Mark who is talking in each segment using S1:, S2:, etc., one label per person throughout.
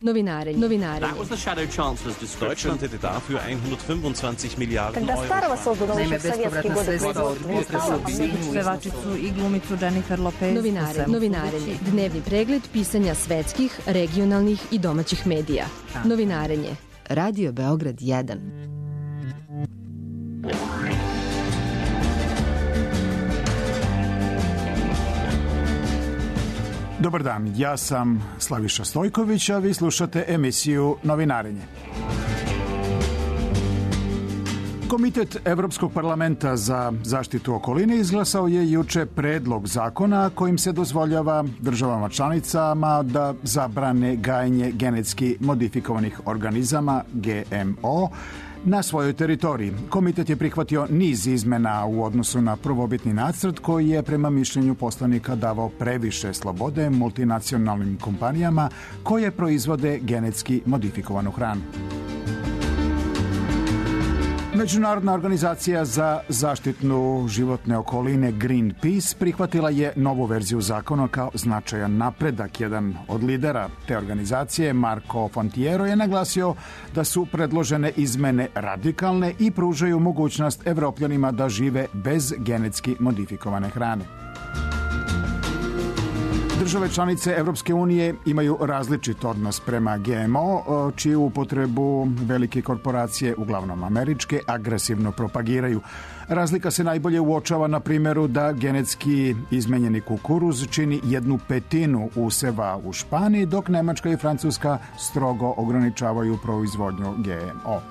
S1: Novinarenje.
S2: That was the Shadow Chancellor's description.
S3: Deutschland hätte dafür 125 Milijarden
S4: Когда старого
S3: Euro.
S4: создано еще в советские годы производства
S5: pevačicu i glumicu Jennifer Lopez.
S1: Novinarenje. Dnevni pregled pisanja svetskih, regionalnih i domaćih medija. Novinarenje. Radio Beograd 1.
S6: Dobar dan, ja sam Slaviša Stojković, a vi slušate emisiju Novinarenje. Komitet Evropskog parlamenta za zaštitu okoline izglasao je juče predlog zakona kojim se dozvoljava državama članicama da zabrane gajenje genetski modifikovanih organizama GMO na svojoj teritoriji. Komitet je prihvatio niz izmena u odnosu na prvobitni nacrt koji je prema mišljenju poslanika davao previše slobode multinacionalnim kompanijama koje proizvode genetski modifikovanu hranu. Međunarodna organizacija za zaštitnu životne okoline Greenpeace prihvatila je novu verziju zakona kao značajan napredak. Jedan od lidera te organizacije, Marco Fontiero, je naglasio da su predložene izmene radikalne i pružaju mogućnost Evropljanima da žive bez genetski modifikovane hrane. Države članice Evropske unije imaju različit odnos prema GMO, čiju upotrebu velike korporacije, uglavnom američke, agresivno propagiraju. Razlika se najbolje uočava na primjeru da genetski izmenjeni kukuruz čini 1/5 useva u Španiji, dok Nemačka i Francuska strogo ograničavaju proizvodnju GMO.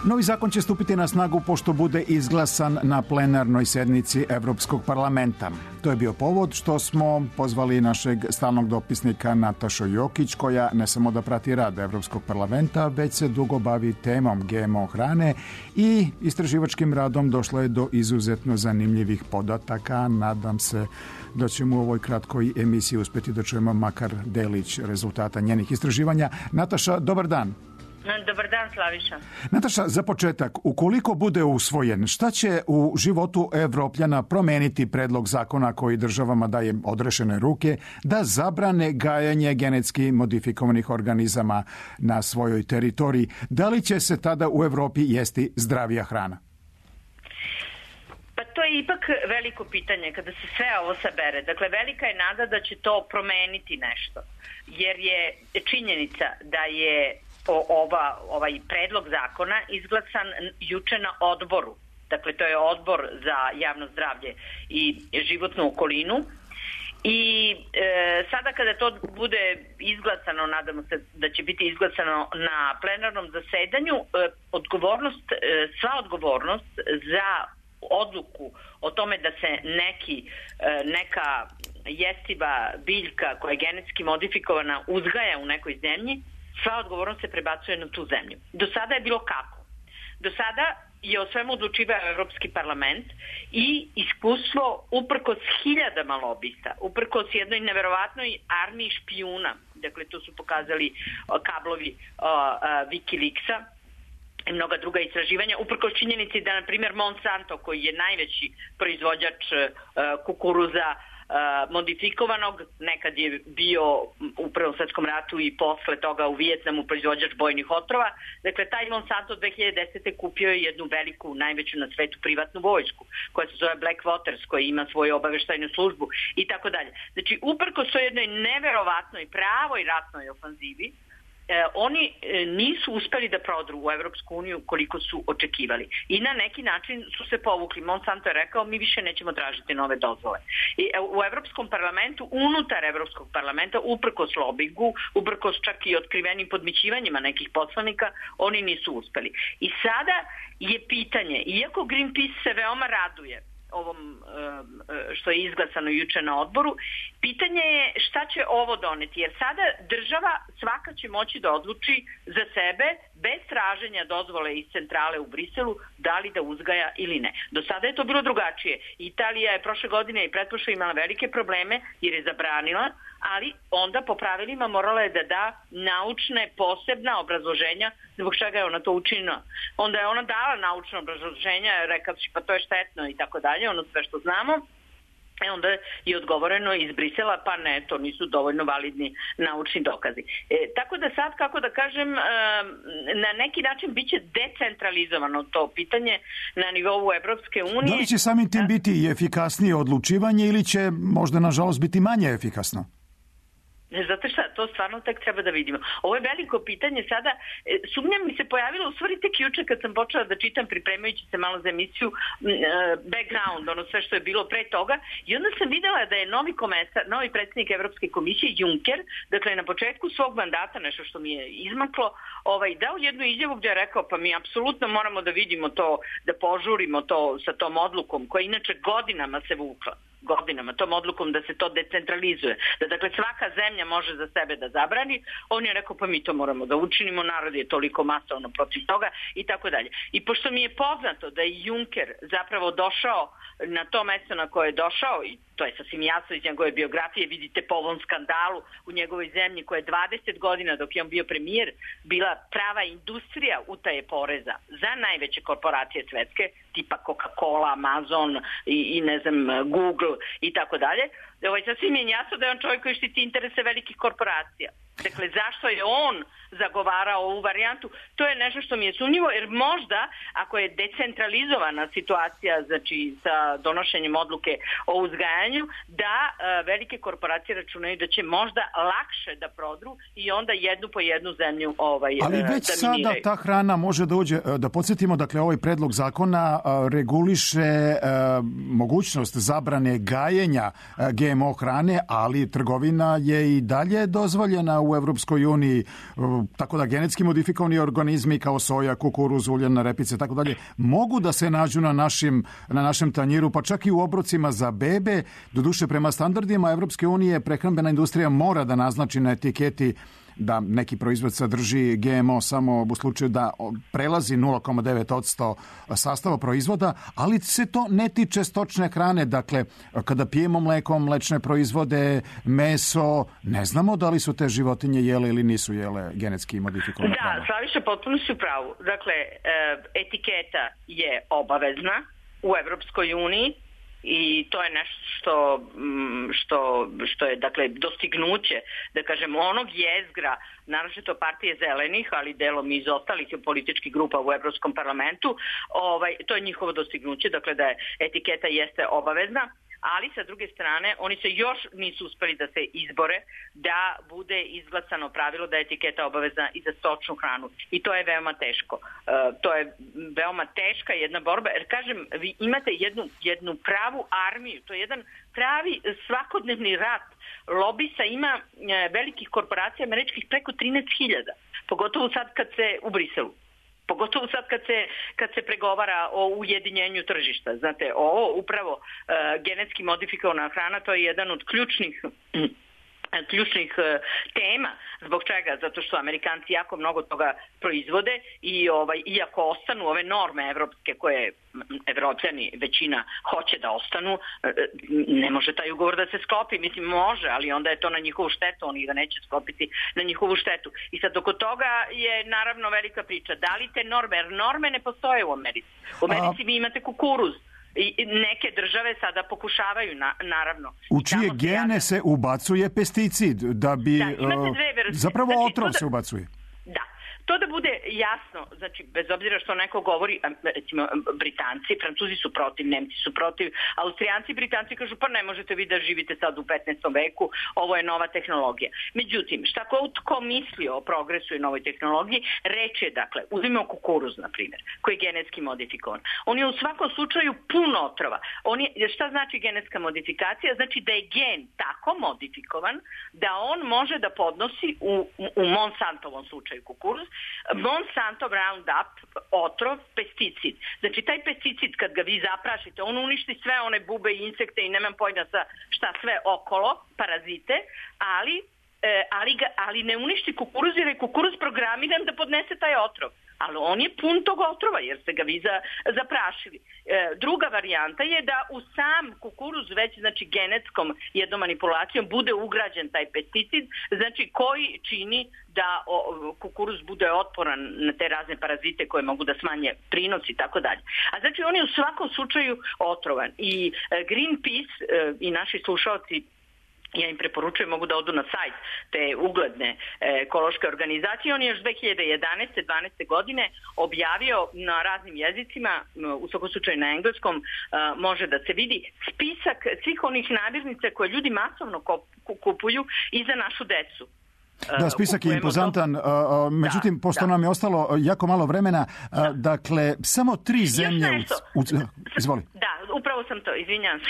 S6: Novi zakon će stupiti na snagu pošto bude izglasan na plenarnoj sednici Evropskog parlamenta. To je bio povod što smo pozvali našeg stalnog dopisnika Natašu Jokić, koja ne samo da prati rad Evropskog parlamenta, već se dugo bavi temom GMO hrane i istraživačkim radom došlo je do izuzetno zanimljivih podataka. Nadam se da ćemo u ovoj kratkoj emisiji uspjeti da čujemo makar delić rezultata njenih istraživanja. Nataša, dobar dan.
S7: Dobar dan, Slaviša.
S6: Nataša, za početak, ukoliko bude usvojen, šta će u životu Evropljana promeniti predlog zakona koji državama daje odrešene ruke da zabrane gajanje genetski modifikovanih organizama na svojoj teritoriji? Da li će se tada u Evropi jesti zdravija hrana?
S7: Pa to je ipak veliko pitanje kada se sve ovo sabere. Dakle, velika je nada da će to promeniti nešto. Jer je činjenica da je ovaj predlog zakona izglasan juče na odboru. Dakle, to je odbor za javno zdravlje i životnu okolinu. I sada kada to bude izglasano, nadamo se da će biti izglasano na plenarnom zasedanju, sva odgovornost za odluku o tome da se neka jestiva biljka koja je genetski modifikovana uzgaja u nekoj zemlji, sva odgovornost se prebacuje na tu zemlju. Do sada je bilo kako? Do sada je o svemu odlučivao Evropski parlament i iskustvo uprkos hiljadama lobista, uprkos jednoj neverovatnoj armiji špijuna, dakle to su pokazali kablovi Wikileaksa i mnoga druga istraživanja, uprkos činjenici da, na primjer, Monsanto, koji je najveći proizvođač kukuruza modifikovanog, nekad je bio u Prvom svetskom ratu i posle toga u Vijetnamu proizvođač bojnih otrova. Dakle, taj Monsanto 2010. kupio je jednu veliku, najveću na svetu privatnu vojsku, koja se zove Blackwaters, koja ima svoju obaveštajnu službu i tako dalje. Znači, uprkos to jednoj neverovatnoj pravoj ratnoj ofanzivi, oni nisu uspeli da prodru u Evropsku uniju koliko su očekivali. I na neki način su se povukli. Monsanto je rekao, mi više nećemo tražiti nove dozvole. I u Evropskom parlamentu, unutar Evropskog parlamenta, uprkos lobingu, uprkos čak i otkrivenim podmićivanjima nekih poslanika, oni nisu uspeli. I sada je pitanje, iako Greenpeace se veoma raduje ovom što je izglasano juče na odboru, pitanje je šta će ovo doneti, jer sada država svaka će moći da odluči za sebe bez traženja dozvole iz centrale u Briselu da li da uzgaja ili ne. Do sada je to bilo drugačije. Italija je prošle godine i pretprošle imala velike probleme jer je zabranila, ali onda po pravilima morala je da da naučne posebna obrazloženja zbog čega je ona to učinila. Onda je ona dala naučno obrazloženja, rekavši pa to je štetno i tako dalje, ono sve što znamo. Onda je odgovoreno iz Brisela, pa ne, to nisu dovoljno validni naučni dokazi. Tako da sad, kako da kažem, na neki način biće decentralizovano to pitanje na nivou Evropske unije.
S6: Da li će samim tim biti i efikasnije odlučivanje ili će možda, nažalost, biti manje efikasno?
S7: Zato šta, to stvarno tek treba da vidimo. Ovo je veliko pitanje sada. Sumnja mi se pojavila u stvari tek juče kad sam počela da čitam, pripremajući se malo za emisiju, background, ono sve što je bilo pre toga, i onda sam videla da je novi predsjednik Evropske komisije Juncker, dakle na početku svog mandata, nešto što mi je izmaklo, dao jednu izjavu gdje je rekao, pa mi apsolutno moramo da vidimo to, da požurimo to sa tom odlukom koja inače godinama se vukla. Tom odlukom da se to decentralizuje. Da dakle svaka zemlja može za sebe da zabrani. On je rekao pa mi to moramo da učinimo, narod je toliko masovno protiv toga i tako dalje. I pošto mi je poznato da je Juncker zapravo došao na to mesto na koje je došao, i to je sasvim jasno iz njegove biografije, vidite po ovom skandalu u njegovoj zemlji koja je 20 godina dok je on bio premijer bila prava industrija utaje poreza za najveće korporacije svetske, tipa Coca-Cola, Amazon i ne znam, Google i tako dalje. Sasvim je jasno da je on čovjek koji štiti interese velikih korporacija. Dakle, zašto je on zagovarao ovu varijantu? To je nešto što mi je sumnjivo, jer možda, ako je decentralizovana situacija, znači sa donošenjem odluke o uzgajanju, da velike korporacije računaju da će možda lakše da prodru i onda jednu po jednu zemlju
S6: ali već sada ta hrana može da uđe, da podsjetimo, dakle, ovaj predlog zakona reguliše mogućnost zabrane gajenja GMO hrane, ali trgovina je i dalje dozvoljena u Evropskoj uniji, tako da genetski modifikovani organizmi kao soja, kukuruz, uljana repice, tako dalje, mogu da se nađu na našem tanjiru, pa čak i u obrocima za bebe. Doduše, prema standardima Evropske unije, prehrambena industrija mora da naznači na etiketi da neki proizvod sadrži GMO samo u slučaju da prelazi 0,9% sastava proizvoda, ali se to ne tiče stočne hrane. Dakle, kada pijemo mleko, mlečne proizvode, meso, ne znamo da li su te životinje jele ili nisu jele genetski modifikovane hrane. Da,
S7: Slaviša, potpuno si u pravu. Dakle, etiketa je obavezna u Evropskoj uniji, i to je nešto što je dakle dostignuće, da kažem, onog jezgra, naročito partije zelenih, ali delom iz ostalih političkih grupa u Evropskom parlamentu, to je njihovo dostignuće, dakle da je etiketa jeste obavezna, ali sa druge strane oni se još nisu uspeli da se izbore da bude izglasano pravilo da je etiketa obavezna i za stočnu hranu. I to je veoma teško. To je veoma teška jedna borba, jer kažem, vi imate jednu pravu armiju, to je jedan pravi svakodnevni rat. Lobista ima velikih korporacija američkih preko 13.000, pogotovo sad kad se u Briselu. Pogotovo sad kad se pregovara o ujedinjenju tržišta. Znate, ovo upravo genetski modifikovana hrana, to je jedan od ključnih tema. Zbog čega? Zato što Amerikanci jako mnogo toga proizvode i iako ostanu ove norme evropske koje Evropljani većina hoće da ostanu, ne može taj ugovor da se sklopi. Mislim, može, ali onda je to na njihovu štetu, oni ga neće sklopiti na njihovu štetu. I sad oko toga je naravno velika priča. Da li te norme, jer norme ne postoje u Americi. U Americi vi imate kukuruz. I neke države sada pokušavaju, naravno.
S6: U čije gene se ubacuje pesticid, da bi... zapravo otrov se ubacuje.
S7: Da. To da bude jasno, znači bez obzira što neko govori, recimo Britanci, Francuzi su protiv, Nemci su protiv, Austrijanci, Britanci kažu pa ne možete vi da živite sad u 15. veku, ovo je nova tehnologija. Međutim, šta ko misli o progresu i novoj tehnologiji, reč je, dakle, uzmimo kukuruz, na primjer, koji je genetski modifikovan. On je u svakom slučaju puno otrova. Šta znači genetska modifikacija? Znači da je gen tako modifikovan da on može da podnosi u Monsantovom slučaju kukuruz, Monsanto Roundup, otrov, pesticid. Znači taj pesticid kad ga vi zaprašite, on uništi sve one bube i insekte i nemam pojma šta sve okolo, parazite, ali ali ne uništi kukuruz jer je kukuruz programiran da podnese taj otrov. Ali on je pun tog otrova jer ste ga vi zaprašili. Druga varijanta je da u sam kukuruz već znači genetskom jednom manipulacijom bude ugrađen taj pesticid, znači koji čini da kukuruz bude otporan na te razne parazite koje mogu da smanje prinos i tako dalje. A znači on je u svakom slučaju otrovan. I Greenpeace i naši slušalci, ja im preporučujem, mogu da odu na sajt te ugledne ekološke organizacije. On je još 2011-12. godine objavio na raznim jezicima, u svakom slučaju na engleskom, može da se vidi spisak svih onih namirnica koje ljudi masovno kupuju i za našu decu.
S6: Da, spisak je impozantan, međutim, pošto nam je ostalo jako malo vremena, dakle, samo 3 zemlje... Izvoli.
S7: Da, upravo sam to, izvinjam se.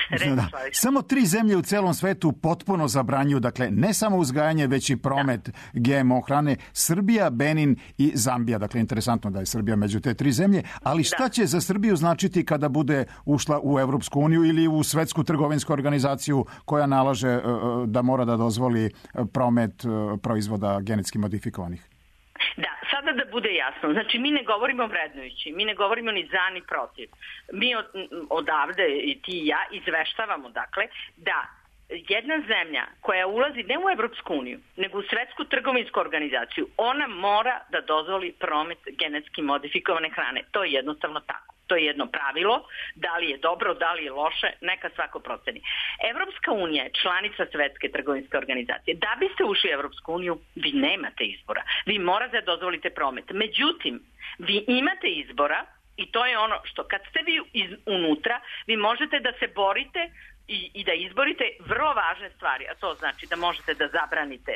S6: Samo 3 zemlje u celom svetu potpuno zabranjuju, dakle, ne samo uzgajanje, već i promet GMO hrane. Srbija, Benin i Zambija. Dakle, interesantno da je Srbija među te 3 zemlje, ali šta će za Srbiju značiti kada bude ušla u Evropsku uniju ili u Svetsku trgovinsku organizaciju koja nalaže da mora da dozvoli promet proizvoda genetski modifikovanih?
S7: Da, sada da bude jasno, znači mi ne govorimo vrednujući, mi ne govorimo ni za ni protiv. Mi odavde i ti i ja izveštavamo dakle da jedna zemlja koja ulazi ne u Evropsku uniju, nego u Svetsku trgovinsku organizaciju, ona mora da dozvoli promet genetski modifikovane hrane. To je jednostavno tako. To je jedno pravilo, da li je dobro, da li je loše, neka svako proceni. Evropska unija je članica Svetske trgovinske organizacije. Da biste ušli u Evropsku uniju, vi nemate izbora. Vi morate da dozvolite promet. Međutim, vi imate izbora i to je ono što kad ste vi unutra, vi možete da se borite i da izborite vrlo važne stvari, a to znači da možete da zabranite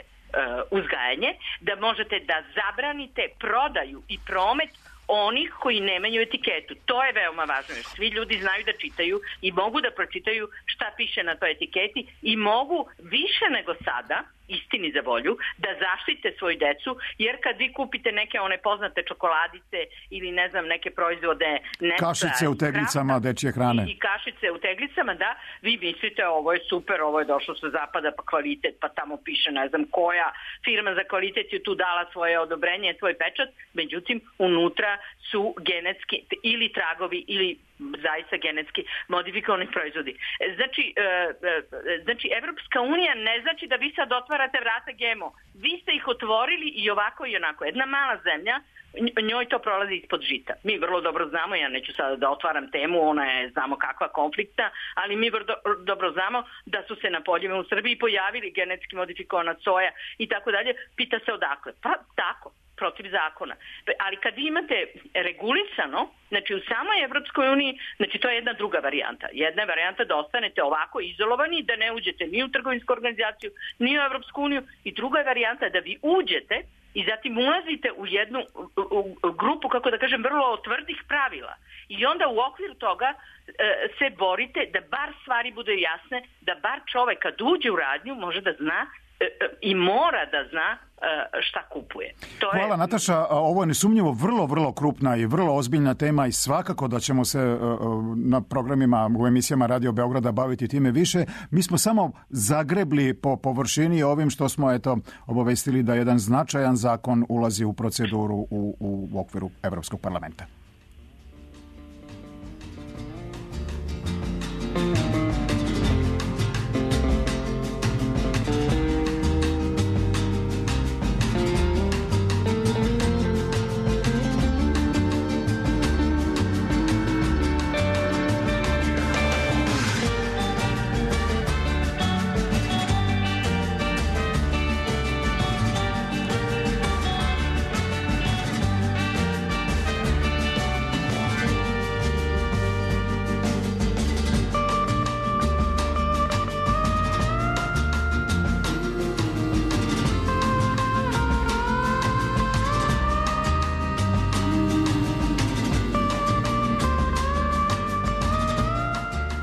S7: uzgajanje, da možete da zabranite prodaju i promet onih koji nemaju etiketu. To je veoma važno, jer svi ljudi znaju da čitaju i mogu da pročitaju šta piše na toj etiketi i mogu više nego sada, istini za volju, da zaštite svoju decu, jer kad vi kupite neke one poznate čokoladice ili ne znam neke proizvode...
S6: Kašice u teglicama, dečje hrane.
S7: I kašice u teglicama, da, vi mislite ovo je super, ovo je došlo sa zapada, pa kvalitet, pa tamo piše ne znam koja firma za kvalitet je tu dala svoje odobrenje, svoj pečat, međutim unutra su genetski ili tragovi ili zaista genetski modifikovani proizvodi. Znači, Evropska unija ne znači da vi sad otvarate vrata GMO. Vi ste ih otvorili i ovako i onako. Jedna mala zemlja, njoj to prolazi ispod žita. Mi vrlo dobro znamo, ja neću sada da otvaram temu, ona je znamo kakva konflikta, ali mi vrlo dobro znamo da su se na poljima u Srbiji pojavili genetski modifikovana soja i tako dalje. Pita se odakle? Pa tako, protiv zakona. Ali kad imate regulisano, znači u samoj Evropskoj uniji, znači to je jedna druga varijanta. Jedna je varijanta da ostanete ovako izolovani, da ne uđete ni u trgovinsku organizaciju, ni u Evropsku uniju, i druga je varijanta da vi uđete i zatim ulazite u jednu grupu, kako da kažem, vrlo tvrdih pravila. I onda u okviru toga se borite da bar stvari budu jasne, da bar čovek kad uđe u radnju može da zna i mora da zna šta kupuje.
S6: Hvala Nataša, ovo je nesumnjivo vrlo krupna i vrlo ozbiljna tema i svakako da ćemo se na programima u emisijama Radio Beograda baviti time više. Mi smo samo zagrebli po površini ovim što smo obavestili da jedan značajan zakon ulazi u proceduru u okviru Evropskog parlamenta.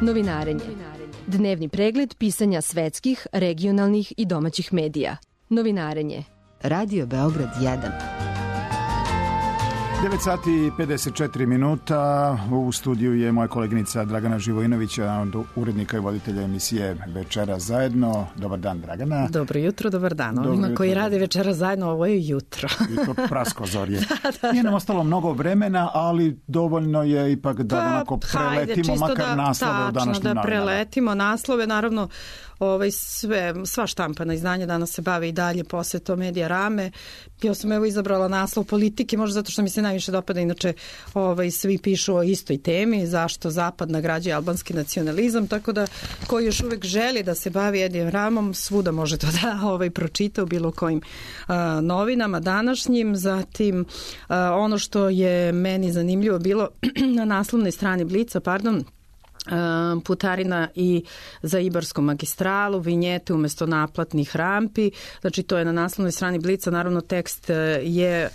S1: Novinarenje. Dnevni pregled pisanja svetskih, regionalnih i domaćih medija. Novinarenje. Radio Beograd 1.
S6: 9 sati i 54 minuta. U studiju je moja koleginica Dragana Živojinović, urednika i voditelja emisije Večera zajedno. Dobar dan, Dragana.
S8: Dobro jutro, dobar dan. Ovima koji rade Večera zajedno, ovo je jutro.
S6: I to praskozorje. Nije nam ostalo mnogo vremena, ali dovoljno je ipak da onako preletimo makar naslove u današnjim novinama.
S8: Da preletimo naslove, naravno sva štampana izdanja danas se bave i dalje posvetom Medija Rame. Ja sam izabrala naslov politike, možda zato što mi se najviše dopada, inače svi pišu o istoj temi, zašto Zapad nagrađuje albanski nacionalizam, tako da ko još uvek želi da se bavi Medijem Ramom, svuda može to da pročita u bilo kojim novinama današnjim. Zatim ono što je meni zanimljivo bilo na naslovnoj strani Blica, putarina i za Ibarsku magistralu, vinjete umesto naplatnih rampi, znači to je na naslovnoj strani Blica, naravno tekst je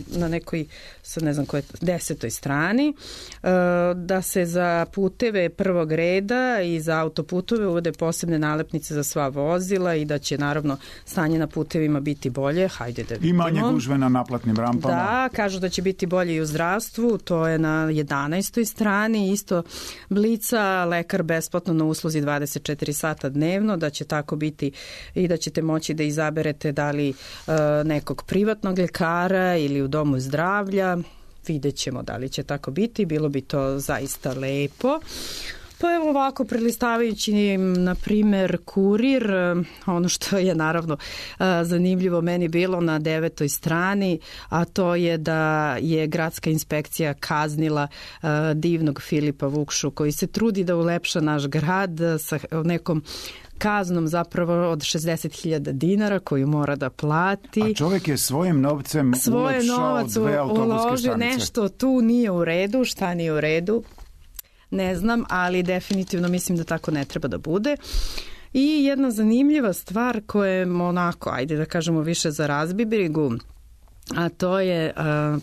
S8: na nekoj, sad ne znam koje, 10. strani, da se za puteve prvog reda i za autoputove uvode posebne nalepnice za sva vozila i da će naravno stanje na putevima biti bolje, hajde da vidimo.
S6: I manje gužve na naplatnim rampama.
S8: Da, kažu da će biti bolje i u zdravstvu, to je na 11. strani, isto Blica, lekar besplatno na usluzi 24 sata dnevno, da će tako biti i da ćete moći da izaberete da li nekog privatnog lekara ili u domu zdravlja. Vidjet ćemo da li će tako biti, bilo bi to zaista lepo. Pa evo ovako, prelistavajući na primer Kurir, ono što je naravno zanimljivo meni bilo na 9. strani, a to je da je gradska inspekcija kaznila divnog Filipa Vukšu koji se trudi da ulepša naš grad sa nekom kaznom zapravo od 60.000 dinara koju mora da plati.
S6: A čovjek je svojim novcem ulepšao 2 autobuske stanice.
S8: Nešto tu nije u redu, šta nije u redu? Ne znam, ali definitivno mislim da tako ne treba da bude. I jedna zanimljiva stvar koja je onako, ajde da kažemo više za razbibrigu, a to je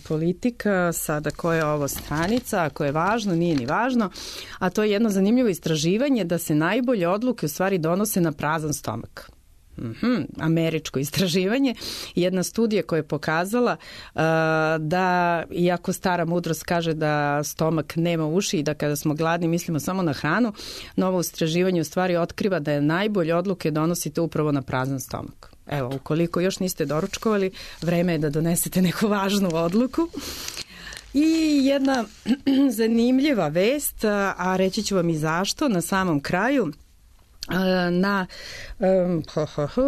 S8: politika, sada koja je ovo stranica, ako je važno, nije ni važno, a to je jedno zanimljivo istraživanje da se najbolje odluke u stvari donose na prazan stomak. Američko istraživanje, jedna studija koja je pokazala da, iako stara mudrost kaže da stomak nema uši i da kada smo gladni mislimo samo na hranu, novo istraživanje u stvari otkriva da je najbolje odluke donosite upravo na prazan stomak. Evo, ukoliko još niste doručkovali, vreme je da donesete neku važnu odluku. I jedna zanimljiva vest, a reći ću vam i zašto, na samom kraju,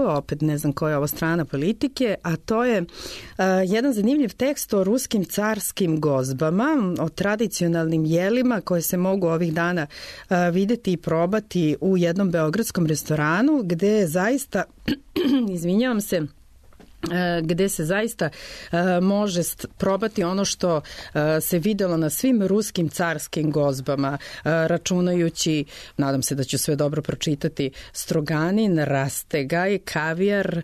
S8: opet ne znam koja je ovo strana politike, a to je jedan zanimljiv tekst o ruskim carskim gozbama, o tradicionalnim jelima koje se mogu ovih dana videti i probati u jednom beogradskom restoranu gde zaista, izvinjavam se, gde se zaista može probati ono što se videlo na svim ruskim carskim gozbama, računajući, nadam se da ću sve dobro pročitati, stroganin, rastegaj, kavijar,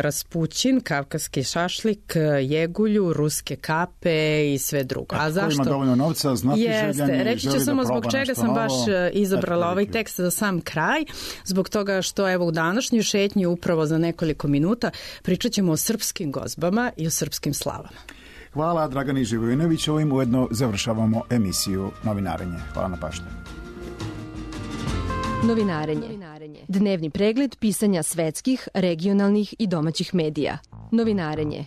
S8: raspućin, kavkaski šašlik, jegulju, ruske kape i sve drugo.
S6: A zašto? Ko ima dovoljno novca, znati željani,
S8: reći ću samo zbog čega sam baš izabrala ovaj tekst za sam kraj, zbog toga što evo u današnjoj šetnji upravo za nekoliko minuta pričat ćemo o srpskim gozbama i o srpskim slavama.
S6: Hvala Dragani Živojinović, ovim ujedno završavamo emisiju Novinarenje. Hvala na pažnju.
S1: Novinarenje. Dnevni pregled pisanja svetskih, regionalnih i domaćih medija. Novinarenje.